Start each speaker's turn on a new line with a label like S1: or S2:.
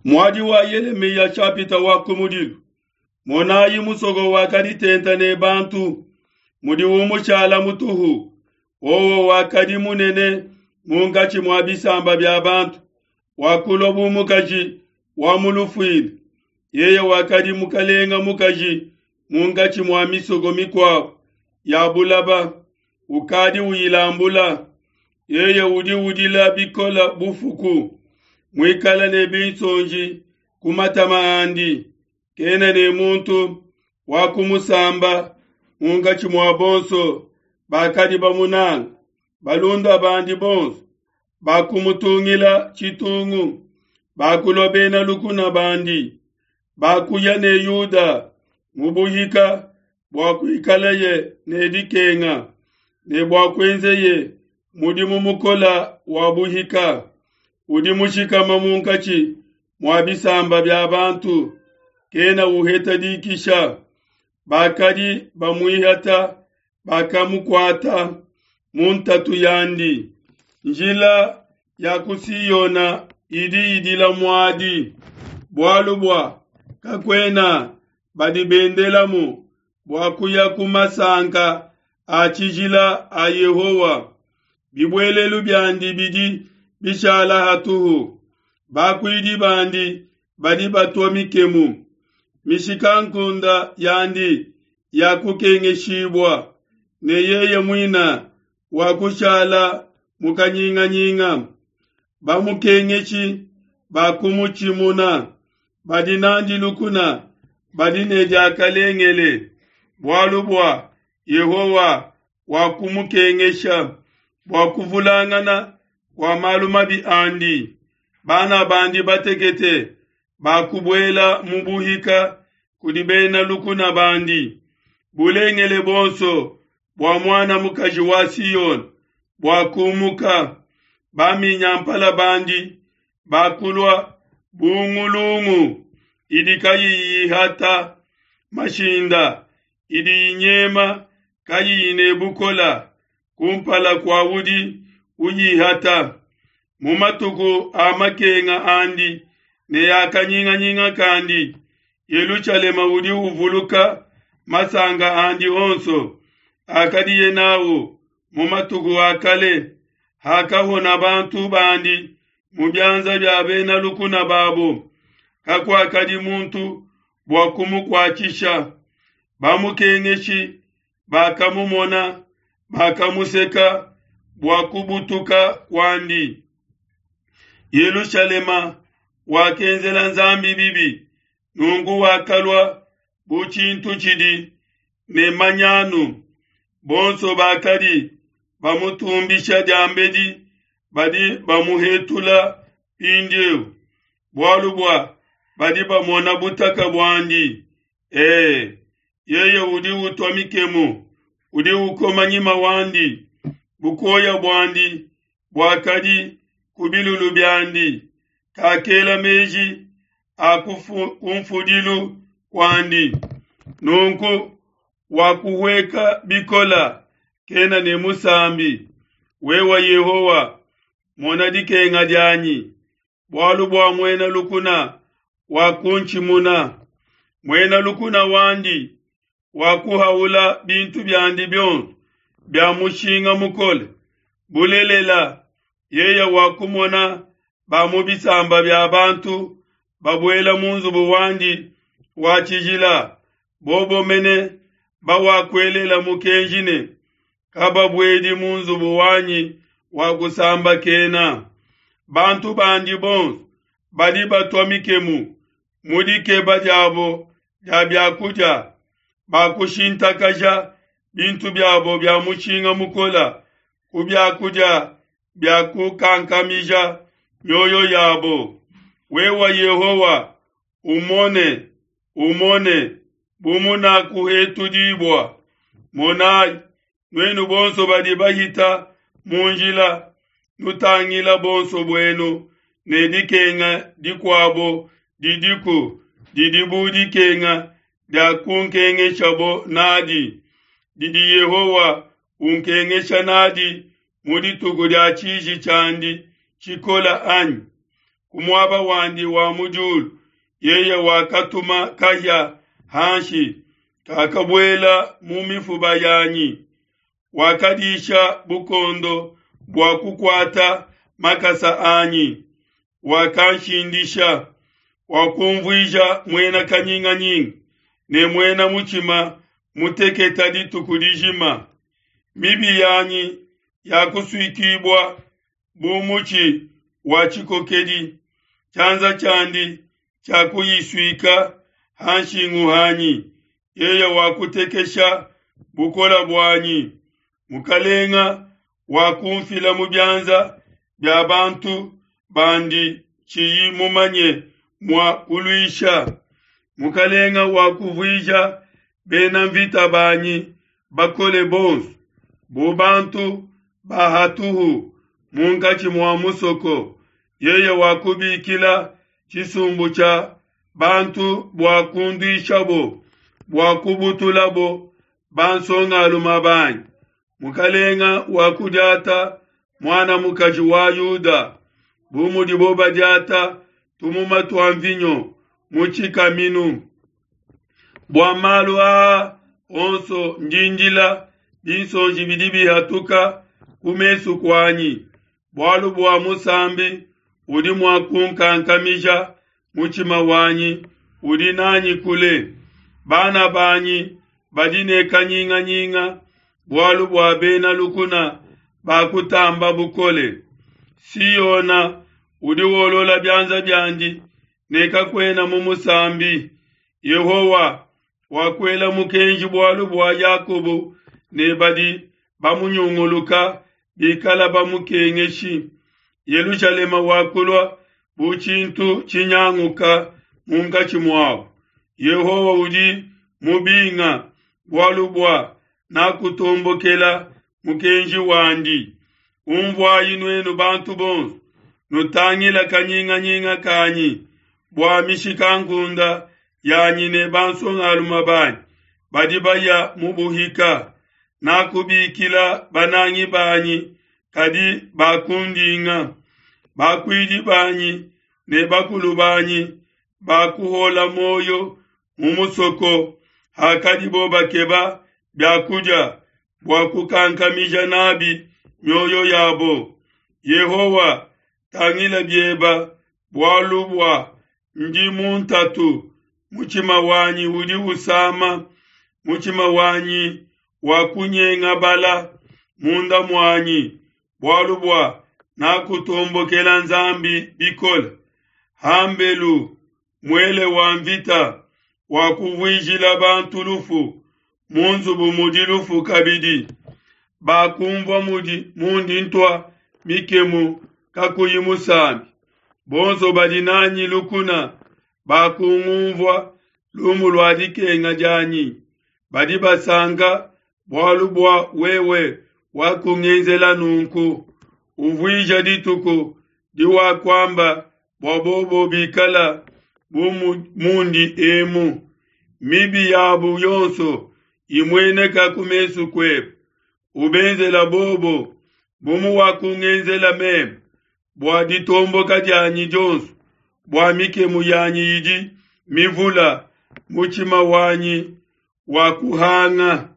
S1: Muadi wa Yelemiya chapita wa kumudilu. Monayi musoko wakadi tenta ne bantu, mudi umushala mutuhu. Wowo wakadi munene munkatshi mua bisamba bia bantu, wakulua bu mukaji wa mu lufuila. Yeye wakadi mukalenga mukaji munkatshi mua misoko mikuabu ya bulaba, ukadi uyilambula. Yeye udi udila bikola bufuku, muikale ne binsonji ku matama andi. Kena ne muntu wa kumusamba munkatshi mua bonso bakadi bamunanga. Balunda bandi bonso bakumutungila tshitungu, bakulua bena lukuna bandi. Bakuya ne Yuda mu buhika bua kuikaleye ne dikenga, ne bua kuenzeye mudimu mukola wa buhika. Udi mushikama munkatshi mua bisamba bia bantu, kena uheta dikisha. Bakadi bamuihata bakamukuata mu ntatu yandi. Njila ya ku Siona idi idila muadi, bualu bua kakuena badi bendelamu bua kuya ku masanka a tshijila a Yehowa. Bibuelelu biandi bidi bishala hatuhu, bakuidi bandi badi batua mikemu. Mishikankunde yandi ya kukengeshibua, ne yeye muine wakushala mu kanyinganyinga. Bamukengeshi bakumutshimuna, badi nandi lukuna badi ne diakalengele, bualu bua Yehowa wakumukengesha bua kuvulangana kua malu mabi andi. Bana bandi batekete bakubuela mu buhika kudi bena lukuna bandi. Bulengele buonso bua muana mukaji wa Siona buakumuka, baminyampala bandi bakulua bu ngulungu idi kayiyi ihata mashinda, idi inyema kayiyi ne bukola kumpala kua udi uyihata. Mu matuku a makenga andi ne a kanyinganyinga kandi, Yelushalema udi uvuluka masanka andi onso akadiye nawu mu matuku a kale, hakahona bantu bandi mu bianza bia bena lukuna babo. Kakuakadi muntu bua kumukuatshisha. Bamukengeshi bakamumona, bakamuseka bua kubutuka kuandi. Yelushalema wakenzela Nzambi bibi, nunku wakalua bu tshintu tshidi ne manyanu. Bonso bakadi bamutumbisha diambedi badi bamuhetula mpindieu, bualu bua badi bamona butaka buandi. E, yeye udi utua mikemu, udi ukoma nyima wandi. Bukoya buandi buakadi ku bilulu biandi, kakela meji a kumfudilu kuandi. Nunku wakuhueka bikola, kena ne musambi. Wewe Yehowa, mona dikenga dianyi, bualu bua muena lukuna wakuntshimuna. Muena lukuna wandi wakuhaula bintu biandi bionso bia mushinga mukole. Bulelela, yeye wakumona ba mu bisamba bia bantu babuela mu nzubu wandi wa tshijila, bobo mene bawakuelela mukenji ne, kababuedi mu nzubu wanyi wa kusambakena. Bantu bandi bonso badi batua mikemu mu dikeba diabo dia biakudia, bakushintakaja bintu biabo bia mushinga mukole ku biakudia bia kukankamija mioyo yabo. Wewe Yehowa, umone, umone bu munakuhetudibua. Monai, nuenu bonso badi bahita mu njila, nutangila bonso buenu ne dikenga dikuabo didiku didi bu dikenga dia kunkengeshabo nadi, didi Yehowa unkengesha nadi mu dituku dia tshiji tshiandi tshikola anyi? ku muaba wandi wa mu diulu, yeye wakatuma kahia hanshi, kakabuela mu mifuba yanyi. Wakadisha bukondo bua kukuata makasa anyi, wakanshindisha, wakumvuija muena kanyinganyinga ne muena mutshima muteketa dituku dijima. Mibi yanyi yakusuikibua bu mutshi wa tshikokedi, tshianza tshiandi tshiakuyisuika ha nshingu hanyi. Yeye wakutekesha bukole buanyi. Mukalenga wakumfila mu bianza bia bantu bandi tshiyi mumanye mua kuluisha. Mukalenga wakuvuija bena mvita banyi bakole bonso bu bantu ba hatuhu munkatshi mua musoko. Yeye wakubikila tshisumbu tshia bantu bua kunduishabo, bua kubutulabo bansongalume banyi. Mukalenga wakudiata muana mukaji wa Yuda, bu mudibo badiata tumuma tua mvinyo mu tshikaminu. Bua malu aa onso ndi ndila, binsonji bidi bihatuka ku mesu kuanyi, bualu bua musambi udi mua kunkankamija mutshima wanyi udi nanyi kule. Bana banyi badi ne kanyinganyinga bualu bua bena lukuna bakutamba bukole. Siona udi wolola bianza biandi ne kakuena mu musambi. Yehowa wakuela mukenji bualu bua Yakobo ne badi bamunyunguluka bikala bamukengeshi. Yelushalema wakulua bu tshintu tshinyanguka munkatshi muabo. Yehowa udi mubinga bualu bua nakutombokela mukenji wandi. Unvuayi nuenu bantu bonso, nutangila kanyinganyinga kanyi bua mishikankunde yanyi ne bansongalume banyi badi baya mu buhika. Nakubikila banangi banyi, kadi bakundinga. Bakuidi banyi ne bakulu banyi bakuhola muoyo mu musoko hakadibo bakeba bia kudia bua kukankamija nabi mioyo yabo. Yehowa, tangila bieba, bualu bua ndi mu ntatu, mutshima wanyi udi usama, mutshima wanyi wakunyengabala munda muanyi, bualu bua nakutombokela Nzambi bikole. Hambelu muele wa mvita wakuvuijila bantu lufu, mu nzubu mudi lufu kabidi. Bakumvua mudi mundi ntua mikemu kakuyi musambi. Bonso badi nanyi lukuna bakungumvua lumu lua dikenga dianyi. Badi basanka bualu bua wewe wakungenzela nunku. Uvuija dituku diwakuamba bua bobo bikala bu mundi emu. Mibi yabu yonso imueneka ku mesu kuebe. Ubenzela bobo bu muwakungenzela meme, bua ditomboka dianyi dionso, bua mikemu yanyi idi mivula, mutshima wanyi wakuhanga.